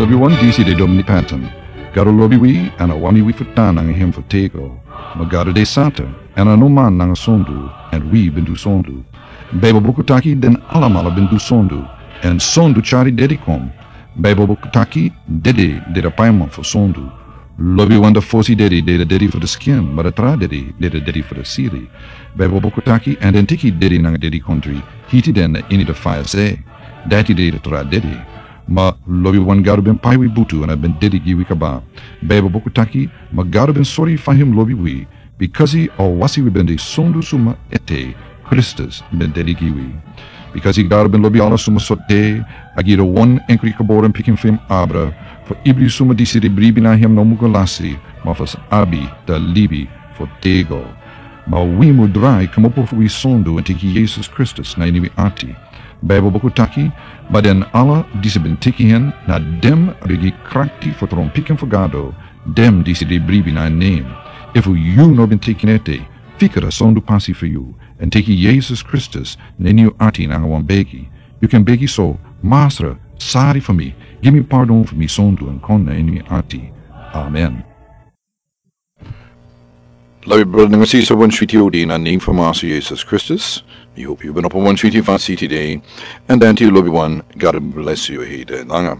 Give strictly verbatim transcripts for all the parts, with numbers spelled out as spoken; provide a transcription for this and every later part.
Lobi wan disi de Domini Patton. Gado lobi wi, èn a wani wi fu tan nanga en fu tego. Ma Gado de santa, èn a no man nanga sondu, èn wi ben du sondu. Baibel buku taki den alamala ben du sondu, èn sondu tyari dedi kon. Baibel buku taki dede de de paiman fu sondu. Lobi wan de fosi dedi de de dedi fu de skin, ma de tra dedi de de dedi fu de siri. Baibel buku taki èn den tiki dedi nanga dedi kontri, hiti den na ini de faya se. Dati de de tra dedi. Ma lobi wan Gado ben pai wi butu èn a ben dedi gi wi kaba. Baibel buku taki, ma Gado ben sori fa en lobi wi, bikasi a wasi wi ben de sondu suma ete, Kristus ben dedi gi wi. Bikasi Gado ben lobi ala suma sortu, a gi de wan enkri geboren pikin fu en abra, fu ibri suma disi de bribi na en no mugo lasi, ma fu sa abi da libi fu tego. Ma wi mu drai kmopo fu wi sondu èn teki Yesus Kristus na ini wi ati. Baibel buku taki, ma den ala disi ben teki en, na den a ben gi krakti fu tron pikin fu Gado, den disi de bribi na en nen. Efu yu no ben teki en ete, fika da sondu pasi fu yu, èn teki Yesus Kristus na ini yu ati nanga wan begi. Yu kan begi so, Masra, sari fu mi, gi mi pardon fu mi sondu èn kon na ini mi ati. Amen. Lobi brada nanga sisa, wan switi odi na nen fu Masra Yesus Kristus. Mi hopi yu ben opo wan switi fasi tide. Èn dan tide lobi wan, God bless yu hede langa.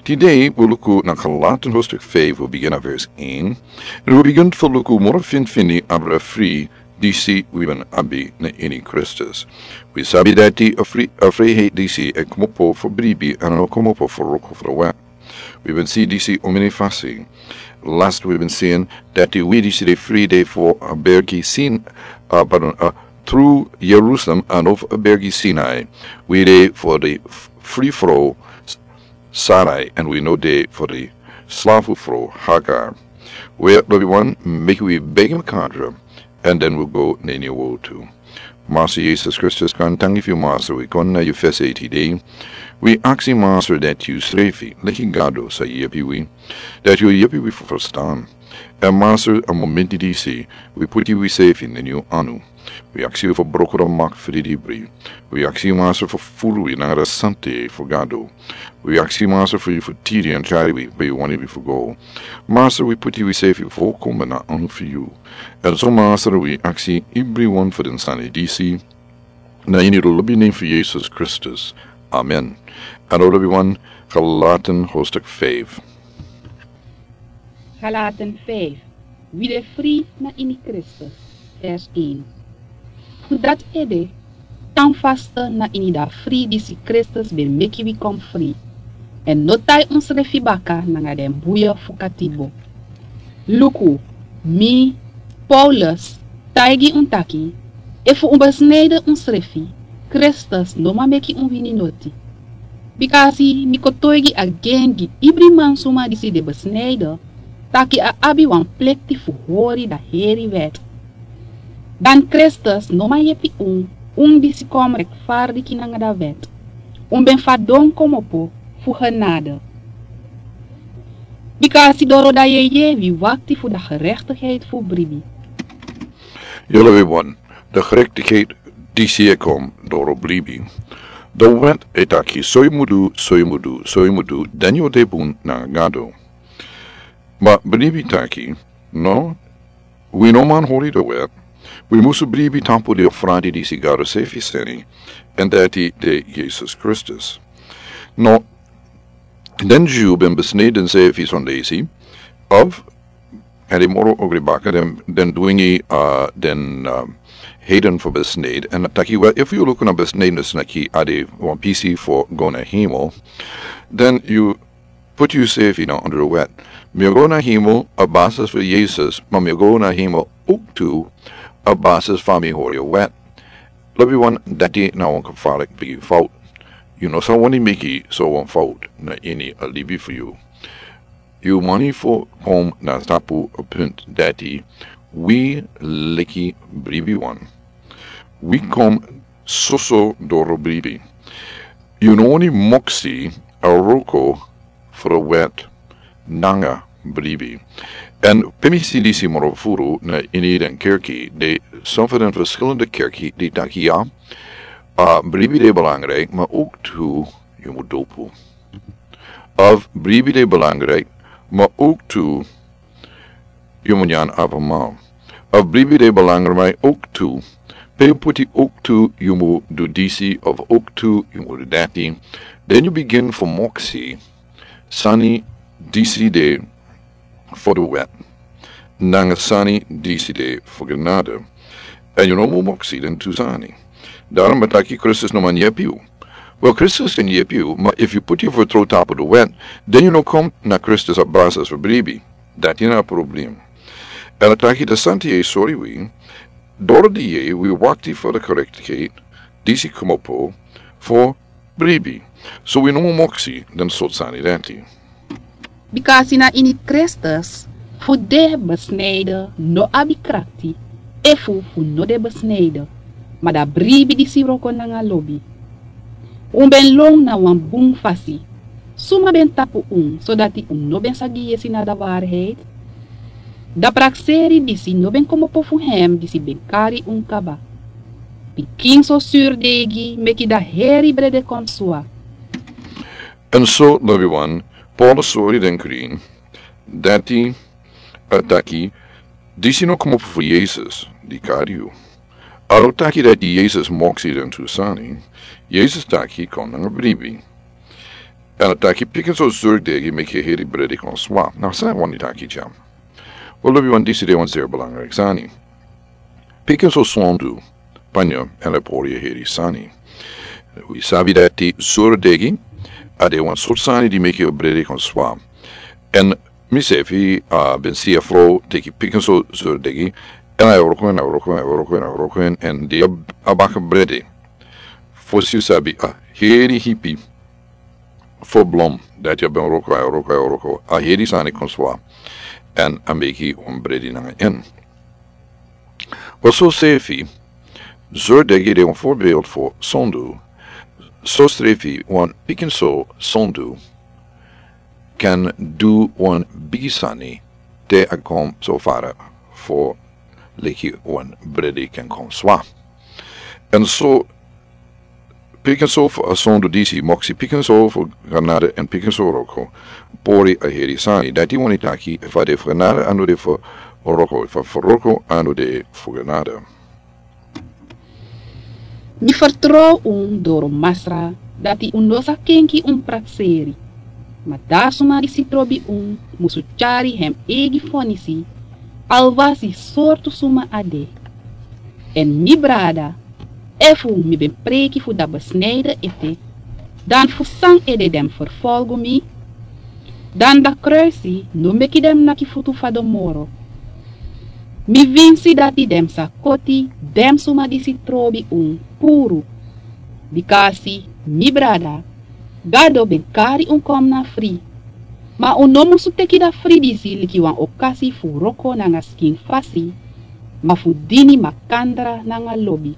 Tide wi luku na Galatian hoofdstuk vijf, wi bigin na vers één. Èn wi bigin fu luku moro finfini abra fri disi wi ben abi na ini Kristus. Wi sabi dati a fri, a friheit disi e kmopo fu bribi èn a no kmopo fu wroko fu de wet. Wi ben si disi omeni fasi. Last wi ben si en dati wi disi de fri de fu a bergi Sin, a, pardon, a, tru Jerusalem èn no fu a bergi Sinai. Wi de fu de f-, fri fro S-, Sarai, èn wi no de fu de slafu fro Hagar. Wi lobi wan, meki wi begi makandra, èn dan wi go na ini a wortu. Masra Yesus Kristus, gaantangi fu yu Masra, wi kon na yu fesi tide. Wi aksi Masra dati yu srefi, leki Gado sa yepi wi, dati yu yepi wi fu frustan. Èn Masra, a momenti disi, wi puti wi srefi na ini yu anu. Wi aksi yu fu broko da mak fu di dibri. Wi aksi yu Masra fu furu wi nanga da sante fu Gado. Wi aksi yu Masra fu yu fu tiri èn tyari wi pe yu wani wi fu go. Masra, wi puti wi srefi fu kome na anu fu yu. Èn so Masra, wi aksi ibri wan fu den sani disi na ini de lobi nen fu Yesus Kristus. Amen. Èn lobi wan, Galatian hoofdstuk vijf. Galatian vijf. Wi de fri na ini Kristus. Vers één. Fu dati ede, tan faste na ini da fri disi Kristus ben meki wi kon fri. Èn no tai unsrefi baka nanga den buya fu katibo. Luku, mi, Paulus, taigi un taki, efu un besnijden unsrefi, Kristus no man meki un wini noti. Bikasi mi kotoigi agen gi ibri mansuma disi de besnijden, taki a abi wan plikti fu hori da heri wet. Dan Kristus no man yepi un, un disi kon rechtvaardig nanga da wet. Un ben fadon komopo fu genade. Bikasi doro da yeye wi wakti fu da gerechtigheid fu bribi. Yu lobi wan, da gerechtigheid disi e kon doro bribi. Da wet e taki so yu mu du, so yu mu du, so yu mu du, dan yu o de bun nanga Gado. Ma bribi taki, no, wi no man hori da wet, wi musu bribi tapu den ofrandi disi Gado srefi seni, èn dati de Yesus Kristus. No, den Dyu ben besnijden srefi sondesi, of, èn den moro ogri baka den, den dwingi, a, den, a, heiden fu besnijden. Èn taki, wel, efu yu luku na besnijdenis na ki a de wan pisi fu go na hemel, dan yu puti yusrefi na ondro wet. Mi o go na hemel a basis fu Yesus, ma mi o go na hemel owktu a basis fu mi hori a wet. Lobi wan, dati na wan gevaarlijk bigi fout. Yu no sa wani meki so wan fout na ini a libi fu yu. Yu wani fu kon na tapu a punt dati wi leki bribi wan. Wi kon soso doro bribi. Yu no wani moksi a wroko fu a wet nanga bribi. Èn pe mi si disi moro furu na ini den kerki, den, son fu den verschillende kerki, den taki ya, a, bribi de belangrijk, ma owktu yu mu dopu. Of bribi de belangrijk, maar ook toe, yu mu nyan abamal. Of bribi de belangrijk ook toe, pe yu puti ook toe, yu mu du disi of ook toe, yu mu du dati. Den yu begin fu moksi sani disi de fu du wet, nanga sani disi de fu genade. En yu no mu moksi den tu sani. Daarom ben taki Kristus no man yepi yu. Wel, Kristus kan yepi yu, maar if yu puti yu vertrouwen tapu du wet, den yu no kom na Kristus op basis fu bribi. Dati na a probleem. En a taki de santi e sori wi, doro di e wi wakti fu de gerechtigheid disi komopo fu bribi. So wi no mu moksi den sort sani dati. Bikasi na ini Kristus fu de besnijden no abi krakti, efu fu no de besnijden, ma da bribi disi wroko nanga lobi. Un ben lon na wan bun fasi. Suma ben tapu un, sodati un no ben sa gi yesi na da waarheid? Da prakseri disi no ben komopo fu hem disi ben kari un kaba. Pikinso surdegi meki da heri brede kon swa. En so, lobi wan, Paulus sori den krin dati, a taki disi no komopo fu Yesus di kari yu. A no taki dati Yesus moksi den tu sani. Yesus taki kon nanga bribi. En a taki pikinso surdegi meki heri brede kon swa. Na san wani taki dya? Wel, lobi wan, disi de wan zeer belangrijk sani. Pikinso sondu, panya, en a pori a heri sani. Wi sabi dati surdegi a de wan sort sani di meki yu brede kon swa. En misefi, a ben si a frow teki pikinso surdegi, en a wroko en, a wroko en, a wroko en, a wroko en, en di a, a baka brede. Fosi yu sabi, a heri hipi fu blom dati a ben wroko, a wroko, a wroko, a heri sani kon swa. En a meki wan brede nanga en. Wel, so srefi, surdegi de wan voorbeeld fu sondu. So srefi, wan pikinso sondu kan du wan bigi sani te a kon so fara fu leki wan brede kan kon swa. En so pikinso fu a sondu disi, moksi pikinso fu genade en pikinso wroko, pori a heri sani. Dati wani taki, efu a de fu genade, a no de fu wroko, efu a fu wroko, a no de fu genade. Mi fertrow un doro Masra dati un no sa kenki un prakseri. Ma da suma disi trobi un musu tyari hem eigi fonisi, alwasi sortu suma a de. En mi brada, efu mi ben preiki fu da besnijden ete, dan fu san ede den mus ferfolgu mi? Dan da kruisi no meki den mus naki futu fadon moro. Mi winsi dati den mus sa koti den suma disi trobi un puru. Bikasi, mi brada, Gado ben kari un kon na fri. Ma un no musu teki da fri disi leki wan okasi fu wroko nanga skin fasi, ma fu dini makandra nanga lobi.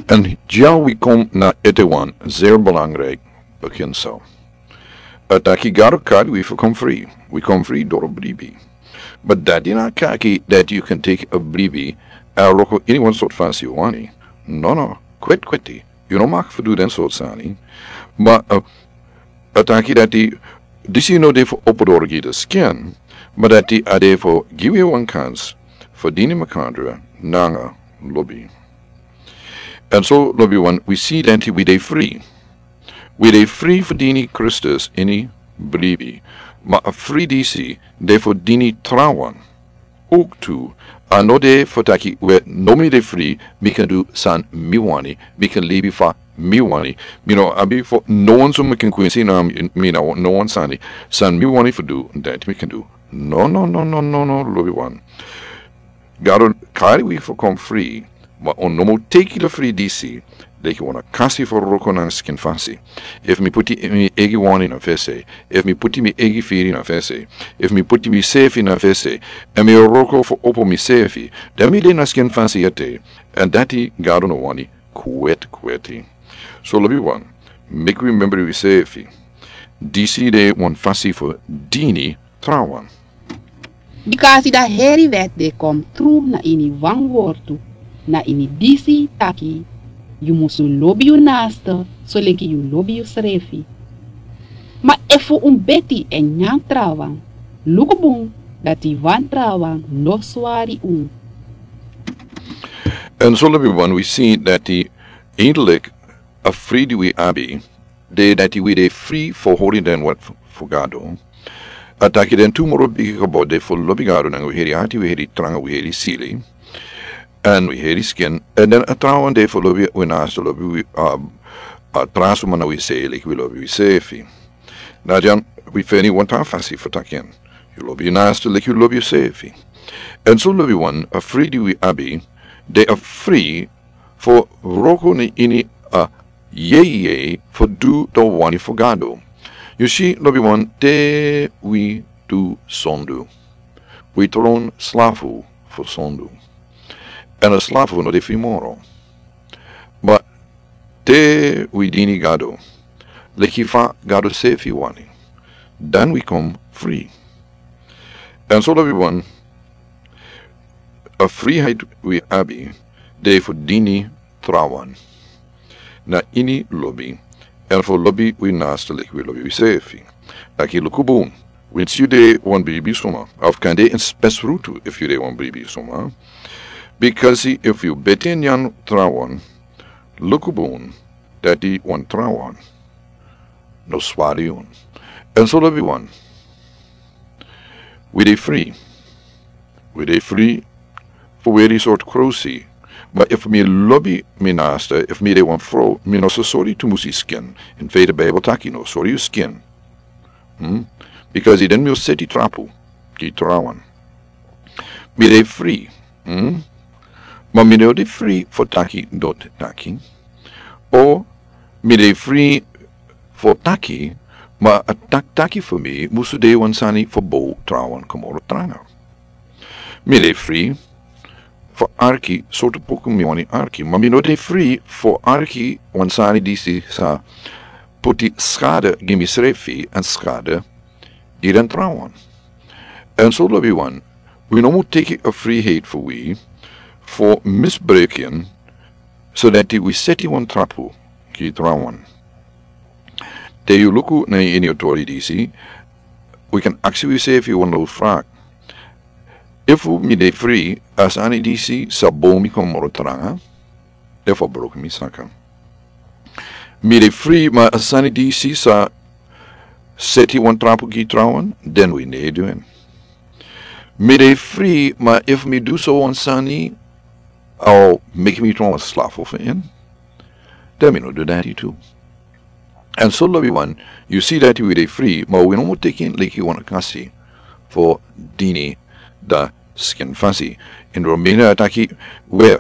En dya wi kon na ete wan zeer belangrijk beginsel. A taki Gado kari wi fu kon fri. Wi kon fri doro bribi. Ma dati no taki dati yu kan teki a bribi èn wroko ini wan sort fasi yu wani. No, no. Kweti, kweti. Yu no mag fu du den sort sani. Ma, eh, a taki dati disi no de fu opo doro gi de skin, ma dati a de fu gi wi wan kans fu dini makandra nanga lobi. En so, lobi wan, wi si dati wi de fri. Wi de fri fu dini Kristus ini bribi. Ma a fri disi de fu dini trawan. Ook tu, a no de fu taki we, no, mi de fri, mi kan du san mi wani, mi kan libi fa mi wani. Mi no abi fu no wan suma kan kwinsi na mi, na no wan sani. San mi wani fu du, dati mi kan du. No, no, no, no, no, no, lobi wan. Gado kari wi fu kon fri, ma un no mu teki da fri disi leki wan okasi fu wroko nanga skin fasi. Efu mi puti mi eigi wani na fesi, efu mi puti mi eigi firi na fesi, efu mi puti misefi na fesi, èn mi wroko fu opo misefi, dan mi de na skin fasi ete, èn dati Gado no wani. Kweti, kweti. So, lobi wan, meki wi membri wisefi. Disi de wan fasi fu dini trawan. Bikasi da heri wet de kon tru na ini wan wortu, na ini disi taki, yu musu lobi yu naaste soleki yu lobi yusrefi. Ma efu un beti èn nyan trawan, luku bun dati wan trawan no swari un. Èn so lobi wan, wi si dati eindelijk a fri di wi abi, de dati wi de fri fu hori den wet fu Gado. A taki den tu moro bigi kaba de fu lobi Gado nanga wi heri ati, wi heri tranga, wi heri sili, èn wi heri skin. Èn den a trawan de fu lobi wi naaste, lobi wi, a, a tra suma na wi sei leki wi lobi wi seefi. Na dyan wi feni wan tra fasi fu taki en. Yu lobi yu naaste leki yu lobi yuseefi. Èn so lobi wan, a fri di wi abi, de a fri fu wroko na ini a yeye fu du dan wani fu Gado. Yu si, lobi wan, te wi du sondu, wi tron slafu fu sondu. Èn a slafu no de fri moro. Ma te wi dini Gado, leki fa Gado seefi wani, dan wi kon fri. Èn so lobi wan, a friheid wi abi de fu dini trawan na ini lobi, èn fu lobi wi naaste leki wi lobi wiseefi. Taki, luku bun, winsi yu de wan bribi suma, of kande ini spesrutu efu yu de wan bribi suma, bikasi efu yu beti nyan trawan, luku bun dati wan trawan no swari yu. Èn so lobi wan, wi de fri. Wi de fri fu weri sortu krosi. Ma efu mi lobi mi naaste, efu mi de wan frow, mi no sa sori tumusi skin. In feite, Bijbel taki no sori yu skin. Hmm? Bikasi den mi o seti trapu gi trawan. Mi de fri. Hmm? Ma mi no de fri fu taki doti taki. O mi de fri fu taki, ma a taki taki fu mi musu de wan sani fu bow trawan kon moro tranga. Mi de fri fu arki sortu poku mi wani arki, ma mi no de fri fu arki wan sani disi sa poti skade gi misrefi èn skade gi den trawan. Èn so lobi wan, wi no mu teki a friheid fu wi fu misbruik en, so dati wi seti wan trapu gi trawan. Te yu luku na ini a tori disi, wi kan aksi wiseefi wan low vraag. Efu mi de fri, a sani disi sa bow mi kon moro tranga, efu a broko mi saka. Mi de fri, ma a sani disi sa seti wan trapu gi trawan, den wi no e du en. Mi de fri, ma efu mi du so wan sani, a o meki mi tron wan slafu fu en, den mi no du dati tu. Èn so lobi wan, yu si dati wi de fri, ma wi no mu teki en leki wan okasi fu dini dan skin fasi. Ini Romeini a taki, we,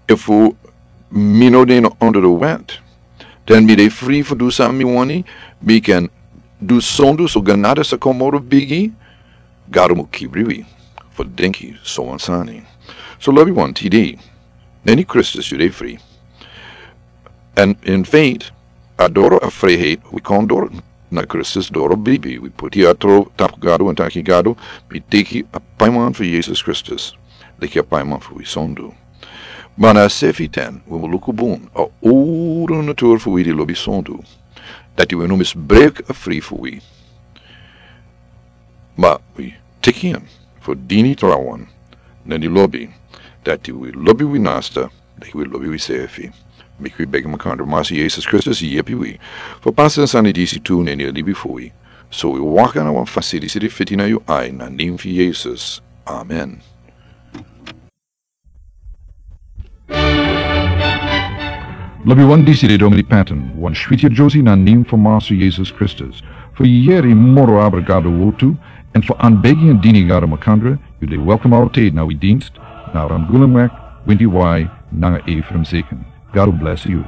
efu mi no de no onder de wet, dan mi de fri fu du san mi wani, mi kan du sondu so genade sa kon moro bigi. Gado mu kibri wi fu denki so wan sani. So lobi wan, tide na ini Kristus yu de fri. Èn in feite, a doro a friheid wi kon doro na Kristus doro bribi. Wi poti a tron tapu Gado èn taki, Gado, mi teki a paiman fu Yesus Kristus leki a paiman fu wi sondu. Ma na a seefi ten wi mu luku bun a owru natura fu wi di lobi sondu, dati wi no misbruik a fri fu wi, ma wi teki en fu dini trawan na ini lobi, dati wi lobi wi naaste leki wi lobi wiseefi. Meki wi begi makandra, Masi Yesus Kristus, yepi wi fu pasa den sani disi tu na ini a libi fu wi, so wi waka na wan fasi disi de fiti na yu ai, na a nen fu Yesus. Amen. Lobi wan, disi de Domini Patton, wan switi yere na a nen fu Masi Yesus Kristus. Fu yere moro abra Gado wortu, èn fu anbegi èn dini Gado makandra, yu de welkom altijd na wi dienst, na Ramgulemweg, Windy Y, nanga Ephraim Zeken. God bless you.